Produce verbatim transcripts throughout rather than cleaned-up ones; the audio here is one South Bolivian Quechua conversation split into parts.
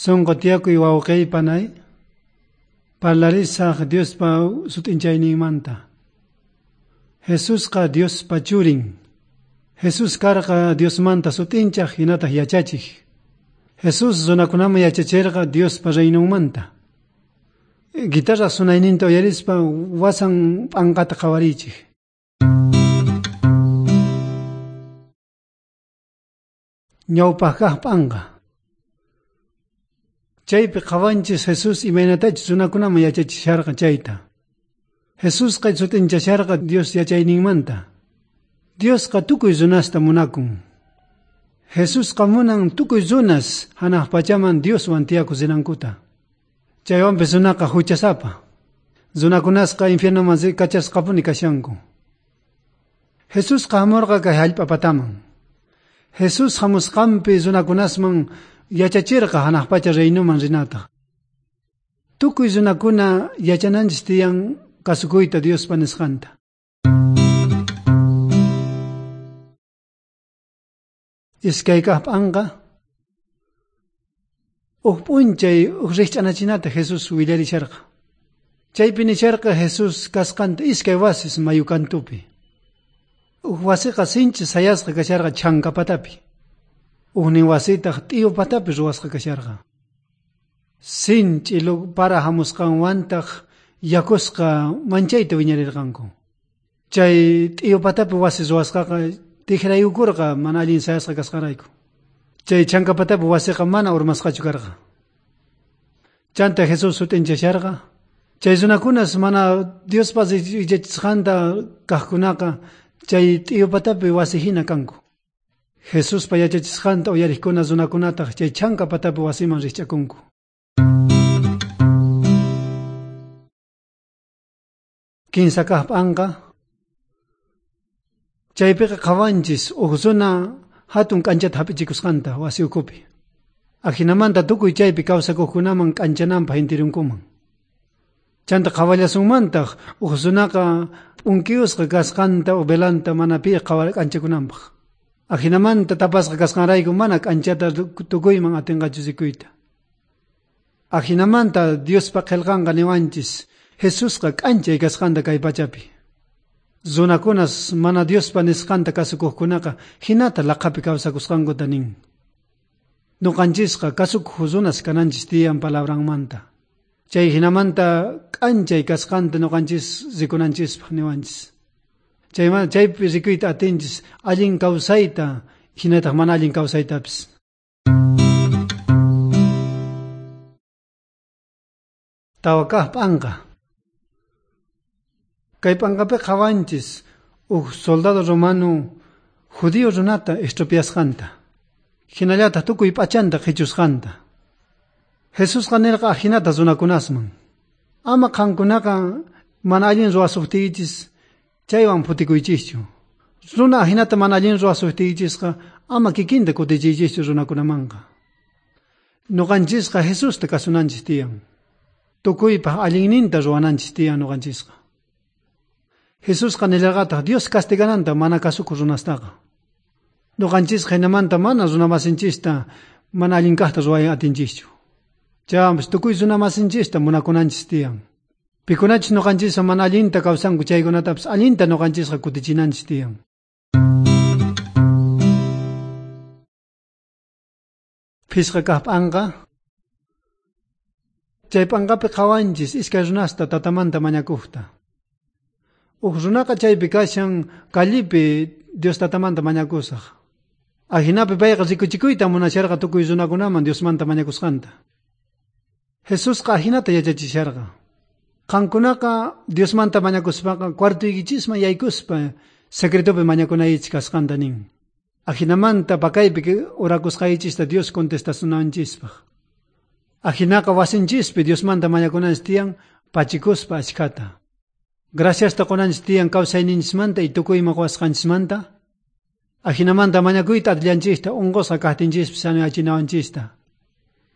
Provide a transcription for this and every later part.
Sonqo tiyakuy wawqiy panay, parlarisaq Diospa sut'inchayninmanta. Jesusqa Diospa churin. Jesús karqa Diosmanta sut'inchaj hinataq yachachij. Jesús runakunaman yachacherqa Diospa reinonmanta. Guitarra sunayninta uyarispa wasan p'anqata qhawariychik. Ñawpaq kaq p'anqa. Chaypi qhawanchis Jesús imaynatachus runakunaman yachachisharqa chayta. Jesusqa sut'inchasharqa Dios yachayninmanta. Diosqa tukuy runasta munakun. Jesusqa munan tukuy runas hanaq pachaman Dioswan tiyakusinankuta. Chaywanpis runaqa huchasapa. Runakunasqa infiernoman kachasqapuni kashanku. Jesusqa hamurqa kay hallp'a pataman. Jesús hamusqanpi runakunasman yachachirqa hanaq pacha reinoman rinata. Tukuy runakuna yachananchis tiyan kasukuyta Diospa nisqanta. Iskay kaq p'anqa. Uj p'unchay uj rikch'anachinata Jesús willarisharqa. Chaypi nisharqa Jesús kasqanta iskay wasis mayu kantupi. Uj wasiqa sinchi sayasqa kasharqa chanka patapi. Ujnin wasitaq t'iyu patapi ruwasqa kasharqa. Sinch'i para hamusqanwantaq yakusqa manchayta wiñarirqanku. Chay t'iyu patapi wasi ruwasqaqa tijrayukurqa mana allin sayasqa kasqanrayku. Chay chanka patapi wasiqa mana urmasqachu karqa. Chanta Jesús sut'inchasharqa. Chay runakunas mana Diospa yachachisqanta kaqkunaqa chay t'iyu patapi wasi hina kanku. Jesuspa yachachisqanta uyariqkuna runakunataq chay chanka patapi wasiman rikch'akunku. Kinsa kaq p'anqa. Chaypiqa qhawanchis uj runa hatun k'anchata hap'ichikusqanta wasi ukhupi. Ajinamanta tukuy chaypi kawsakuqkunaman k'anchananpaq intirunkuman. Chanta qhawallasunmantaq uj runaqa p'unkiyusqa kasqanta uj velanta mana pi k'anchakunanpaq. Ajinamanta tapasqa kasqanrayku mana k'anchata tukuyman atinqachu rikuyta. Ajinamanta Diospa qillqanqa niwanchis Jesusqa k'anchay kasqanta kay pachapi. Runakunas mana Diospa nisqanta kasukuqkunaqa hinata laqhapi kawsakusqankuta nin. Nuqanchisqa kasukuq runas kananchis tiyan palabranmanta. Chay hinamanta k'anchay kasqanta nuqanchis rikunanchispaq niwanchis. Chaymanta chaypi rikuyta atinchis allin kawsayta hinataq mana allin kawsaytapis. Tawa kaq p'anqa. Kay p'anqapi qhawanchis uj soldado romano judío runata estropeasqanta. Hinallataq tukuy p'achanta qhichusqanta. Jesusqa nirqa ajinata runakunasman. Ama qankunaqa mana allin ruwasuqtiychis chaywan phutikuychischu. Runa ajinata mana allin ruwasuqtiykichisqa ama kikinta kutichiychischu runakunamanqa. Nuqanchisqa Jesusta kasunanchis tiyan. Tukuypaq allinninta ruwananchis tiyan nuqanchisqa. Jesusqa nillarqataq Dios castigananta mana kasukuq runastaqa. Nuqanchisqa hinamanta mana runamasinchista mana allin kaqta ruway atinchischu. Chaywanpis tukuy runamasinchista munakunanchis tiyan. Pikunachus nuqanchisqa mana allinta kawsanku chaykunatapis allinta nuqanchisqa kutichinanchis tiyan. Phisqa kaq p'anqa. Chay p'anqapi qhawanchis iskay runasta tatamanta mañakuqta. Uj runaqa chaypi kashan callipi Dios tatamanta mañakusaq. Ajinapi payqa rikuchikuyta munasharqa tukuy runakunaman Diosmanta mañakusqanta. Jesusqa ajinata yachachisharqa. Qankunaqa Diosmanta mañakuspaqa cuartuykichisman yaykuspa secretopi mañakunaychis kasqanta nin. Ajinamanta pakaypi orakusqaychista Dios contestasunanchispaq. Ajinaqa wasinchispi Diosmanta mañakunanchis tiyan pachikuspa achkhata. Graciasta qunanchis tiyan kawsayninchismanta y tukuy ima quwasqanchismanta. Ajinamanta mañakuyta atillanchista unqusqa kaqtinchispis sanoyachinawanchista.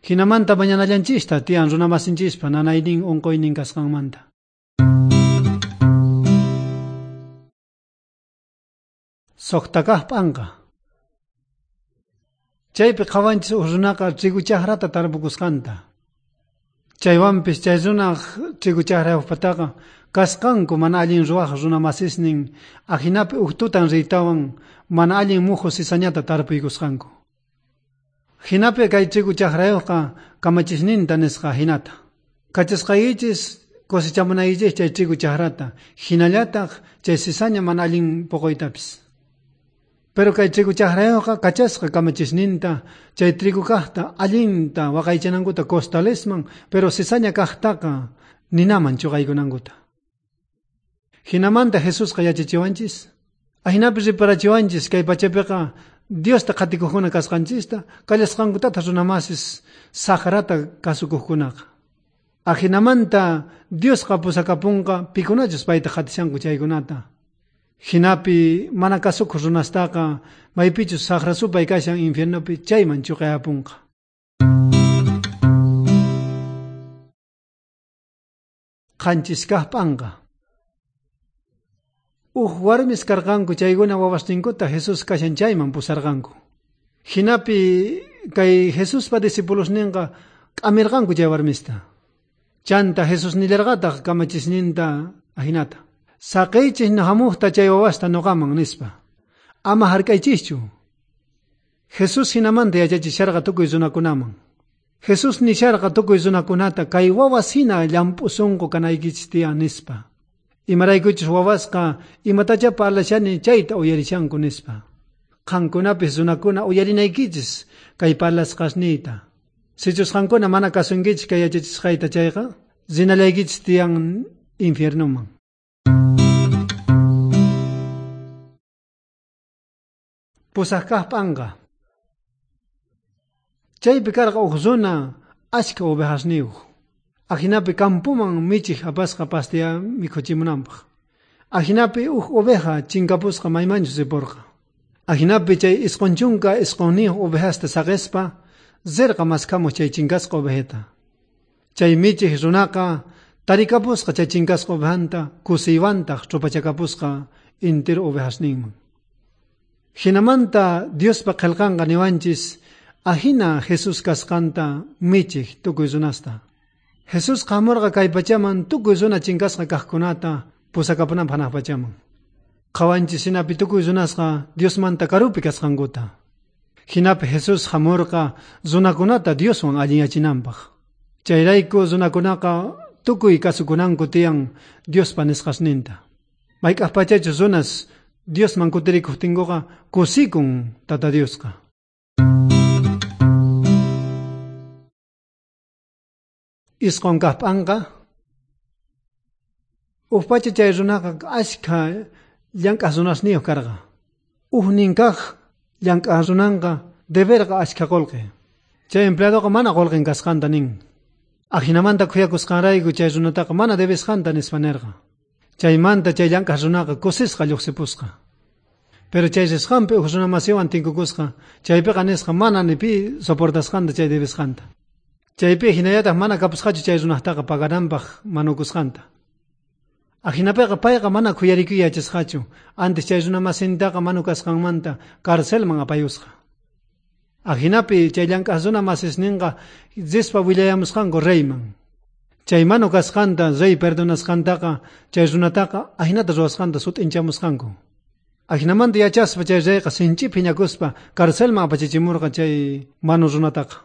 Hinamanta mañanallanchista tiyan runamasinchispa nanaynin unquynin kasqanmanta. Suqta kaq p'anqa. Chaypi qhawanchis uj runaqa trigo chajrata tarpukusqanta. Chaywanpis chay runaj trigo chajrayuqpataqa kasqanku mana allin ruwaj runa masisnin ajinapi uj tutan riytawan mana allin muju cizañata tarpuykusqanku. Jinapi kay trigo chajrayuqqa kamachisninta nisqa jinata. Kachasqaykichis cosechamunaykichis chay trigo chajrata, hinallataq chay cizaña mana allin poqoytapis. Pero kay trigo chajrayuqqa kachasqa kamachisninta chay trigo kajta allinta waqaychanankuta costalesman, pero cizaña kajtaqa ninaman chuqaykunankuta. Jinamanta Jesusqa yachachiwanchis, ajinapi riparachiwanchis kay pachapiqa Diosta qhatikuqkuna kasqanchista, kallasqankutata runamasis saqrata kasukuqkunaqa. Ajinamanta Diosqa pusakapunqa pikunachus payta qhatishanku chaykunata. Jinapi mana kasukuq runastaqa maypichus saqra supay kashan infiernopi chayman chuqayapunqa. Qanchis kaq p'anqa. Uj warmis karqanku chaykuna wawasninkuta Jesús kashan chayman pusarqanku. Jinapi kay Jesuspa discipulosninqa k'amirqanku chay warmista. Chanta Jesús nillarqataq kamachisninta ajinata. Saqiychis hamuqta chay wawasta nuqaman nispa. Ama hark'aychischu. Jesús jinamanta yachachisharqa tukuy runakunaman. Jesús nisharqa tukuy runakunata kay wawas hina llamp'u sunqu kanaykichis tiyan nispa. Imaraykuchus wawasqa imatacha parlashani chayta uyarishanku nispa. Qankunapis runakuna uyarinaykichis kay parlasqasniyta. Sichus qankuna mana kasunkichis kay yachachisqayta chayqa, rinallaykichis tiyan infiernoman. Pusaq kaq p'anqa. Chaypi karqa uj runa achka ovejasniyuq. Ajinapi campoman michij apasqa pastia mikhuchimunanpaq. Ajinapi uj oveja chinkapusqa maymanchus ripurqa. Ajinapi chay isqun chunka isqunniyuq ovejasta saqispa rirqa maskhamuq chay chinkasqa ovejata. Chay michij runaqa tarikapusqa chay chinkasqa ovejanta kusiywantaq ch'upachakapusqa entero ovejasninman. Jinamanta Diospa qillqanqa niwanchis ajina Jesús kasqanta michij tukuy runasta. Jesús hamurqa kay pachaman tukuy runa chinkasqa kaqkunata pusakapunanpaq hanaq pachaman. Qhawanchis hinapi tukuy runasqa Diosmanta karupi kasqankuta. Hinapi Jesús hamurqa runakunata Dioswan allinyachinanpaq. Chayrayku runakunaqa tukuy kasukunanku tiyan Diospa nisqasninta. Mayk'aq pachachus runas Diosman kutirikuqtinkuqa kusikun Tata Diosqa. Isqun kaq p'anqa. Uj pacha chay runaqa achkha llank'aq runasniyuq karqa. Ujnin kaq llank'aq runanqa deberqa achkha qullqi. Chay empleadoqa mana qullqin kasqanta nin. Ajinamanta khuyakusqanrayku chay runataqa mana debesqanta nispa nirqa. Chaymanta chay llank'aq runaqa kusisqa lluqsipusqa. Pero chay risqanpi uj runa masiwan tinkukusqa, chaypiqa nisqa mana ni pi soportasqanta chay debesqanta. Chaypi hinallataq mana kapusqachu chay runaqtaqa pagananpaq manukusqanta. Ajinapiqa payqa mana khuyarikuy yachasqachu, antes chay runa masintaqa manu kasqanmanta carcelman apayusqa. Ajinapi chay llank'aq runa masisninqa rispa willayamusqanku reyman. Chay manu kasqanta rey perdonasqantaqa chay runataqa ajinata ruwasqanta sut'inchamusqanku. Ajinamanta yachaspa chay reyqa sinchi phiñakuspa carcelman apachichimurqa chay manu runataqa.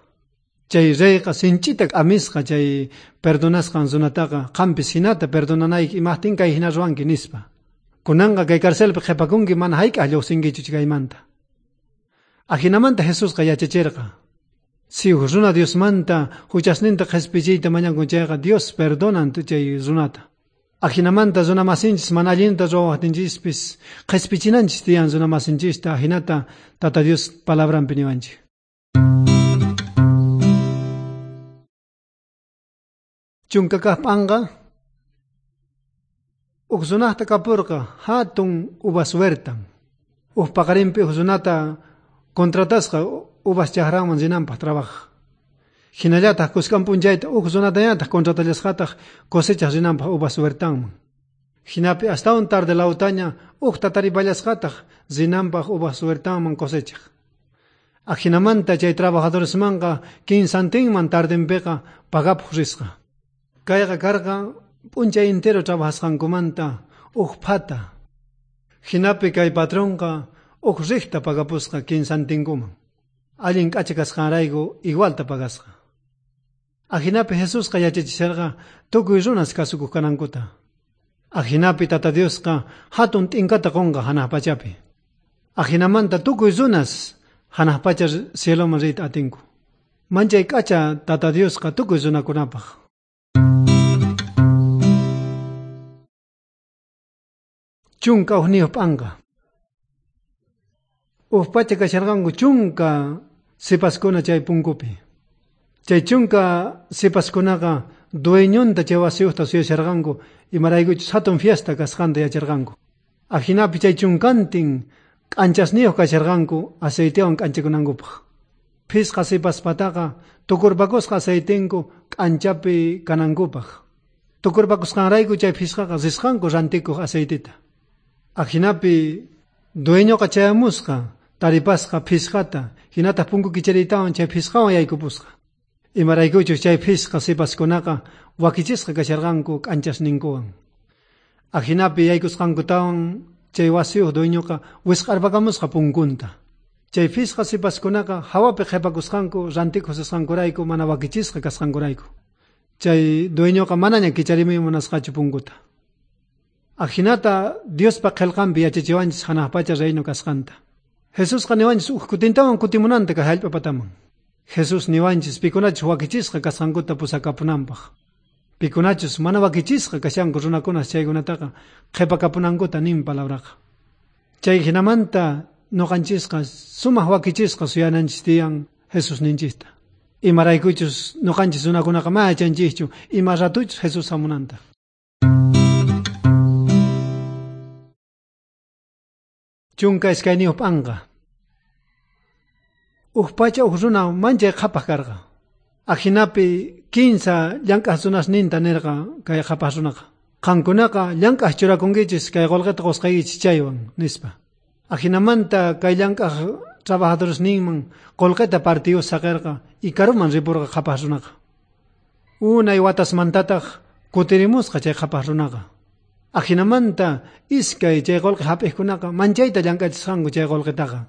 Chay reyqa sinchita k'amisqa chay perdonasqan runataqa qampis hinata perdonanayki imajtin kay hina ruwanki nispa. Kunanqa kay carcelpi qhipakunki mana hayk'aq lluqsinkichu chaymanta. Ajinamanta Jesusqa yachachirqa. Si uj runa Diosmanta huchasninta qhispichiyta mañakun chayqa Dios perdonan chay runata. Ajinamanta runa masinchis mana allinta ruwaqtinchispis qhispichinanchis tiyan runa masinchista ajinata Tata Dios palabranpi niwanchik. Chunka kaq p'anqa. Uj runaqta kapurqa hatun uvas huertan. Uj paqarinpi uj runata contratasqa uvas chajranman rinanpaq trabajaq. Hinallataq kuskan p'unchayta uj runatañataq contratallasqataq cosechaq rinanpaq uvas huertanman. Hinapi astawan tarde lawtaña ujta taripallasqataq rinanpaq uvas huertanman cosechaq. Ajinamanta chay trabajadoresmanqa kinsantinman tardenpiqa pagapuq risqa. Kayqa karqa p'unchay entero trabajasqankumanta uj phata. Jinapi kay patronqa uj riqta pagapusqa kinsantinkuman. Allin k'acha kasqanrayku igualta pagasqa. Ajinapi Jesusqa yachachisharqa tukuy runas kasukuq kanankuta. Ajinapi Tata Diosqa hatun t'inkata qunqa hanaq pachapi. Ajinamanta tukuy runas hanaq pacha cieloman riyta atinku. Manchay k'acha Tata Diosqa tukuy runakunapaq. Chunka ujniyuq p'anqa. Uj pacha kasharqanku chunka sipaskuna chay punkupi. Chay chunka sipaskunaqa dueñonta chay wasiyuqta suyasharqanku imaraykuchus hatun fiesta kasqanta yacharqanku. Ajinapi chay chunkantin k'anchasniyuq kasharqanku aceitewan k'anchakunankupaq. Phisqa sipaspataqa tukurpakusqa aceitinku k'anchapi kanankupaq. Tukurpakusqanrayku chay phisqaqa risqanku rantikuq aceitita. Ajinapi dueñoqa chayamusqa taripasqa phisqata hinataq punku kichariytawan chay phisqawan yaykupusqa. Imaraykuchus chay phisqa sipaskunaqa wakichisqa kasharqanku k'anchasninkuwan. Ajinapi yaykusqankutawan chay wasiyuq dueñoqa wisq'arpakamusqa punkunta. Chay phisqa sipaskunaqa hawapi qhipakusqanku rantikuq risqankurayku mana wakichisqa kasqankurayku. Chay dueñoqa manaña kicharimuy munasqachu punkuta. Ajinata Diospa qillqanpi yachachiwanchis hanaq pacha reino kasqanta. Jesusqa niwanchis uj kutintawan kutimunanta kay hallp'a pataman. Jesús niwanchis pikunachus wakichisqa kasqankuta pusakapunanpaq. Pikunachus mana wakichisqa kashanku runakunas chaykunataqa qhipakapunankuta nin palabraqa. Chay hinamanta nuqanchisqa sumaq wakichisqa suyananchis tiyan Jesús ninchista. Imaraykuchus nuqanchis runakunaqa mana yachanchischu ima ratuchus Jesús hamunanta. Chunka iskayniyuq p'anqa. Uj pacha uj runa manchay qhapaq karqa. Ajinapi kinsa llank'aq runasninta nirqa kay qhapaq runaqa. Qankunaqa llank'aq churakunkichis kay qullqita qusqaykichis chaywan nispa. Ajinamanta kay llank'aq trabajadoresninman qullqita partiyus saqirqa y karuman ripurqa qhapaq runaqa. Unay watasmantataq kutirimusqa chay qhapaq runaqa. Ajinamanta iskay chay qullqi hap'iqkunaqa manchayta llank'achisqanku chay qullqitaqa.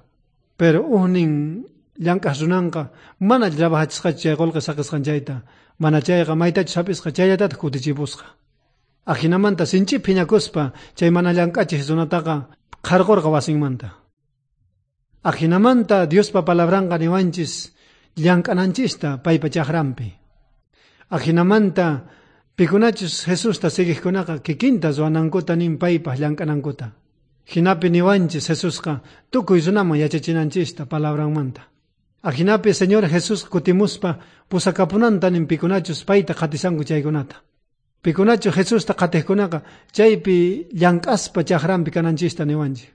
Pero ujnin llank'aq runanqa mana trabajachisqachu chay qullqi saqisqan chayta, mana chayqa maytachus hap'isqa chayllatataq kutichipusqa. Ajinamanta sinchi phiñakuspa chay mana llank'achij runataqa qharqurqa wasinmanta. Ajinamanta Diospa palabranqa niwanchis llank'ananchista paypa chaqranpi. Ajinamanta pikunachus Jesusta siguiqkunaqa kikinta ruwanankuta nin paypaq llank'anankuta. Jinapi niwanchis Jesusqa tukuy runaman yachachinanchista palabranmanta. Ajinapi Señor Jesús kutimuspa pusakapunanta nin pikunachus payta qhatisanku chaykunata. Pikunachus Jesusta qhatiqkunaqa chaypi llank'aspa chaqranpi kananchista niwanchik.